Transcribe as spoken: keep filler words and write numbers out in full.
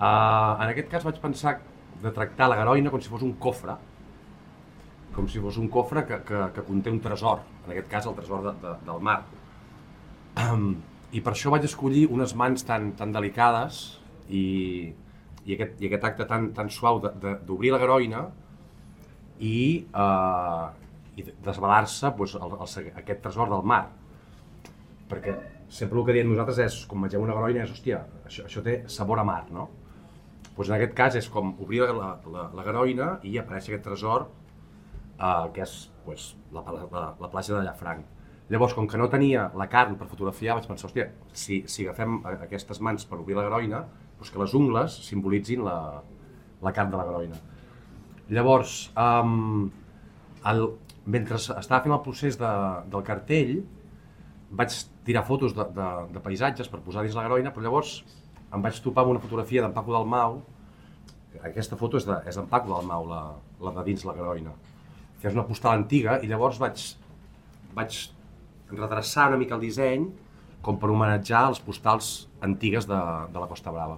Uh, en aquest cas vaig pensar de tractar la Garoina com si fos un cofre, com si fos un cofre que, que, que conté un tresor, en aquest cas el tresor de, de, del mar. Um, I per això vaig escollir unes mans tan, tan delicades i, i, aquest, i aquest acte tan, tan suau d'obrir la Garoina i, uh, i desvelar-se pues, el, el, aquest tresor del mar. Perquè sempre el que diem nosaltres és, quan mengem una Garoina, és, hòstia, això, això té sabor a mar, no? Pues en aquest cas és com obrir la, la, la Garoina i apareix aquest tresor uh, que és pues, la, la, la platja de Llafranc. Llavors, com que no tenia la carn per fotografiar, vaig pensar, hòstia, si, si agafem aquestes mans per obrir la Garoina, doncs que les ungles simbolitzin la, la carn de la Garoina. Llavors, um, el, mentre estava fent el procés de, del cartell, vaig tirar fotos de, de, de paisatges per posar dins la Garoina, però llavors em vaig topar amb una fotografia d'en Paco Dalmau. Aquesta foto és d'en és Paco Dalmau, la, la de dins la Garoina, que és una postal antiga, i llavors vaig, vaig redreçar una mica el disseny com per homenatjar les postals antigues de, de la Costa Brava.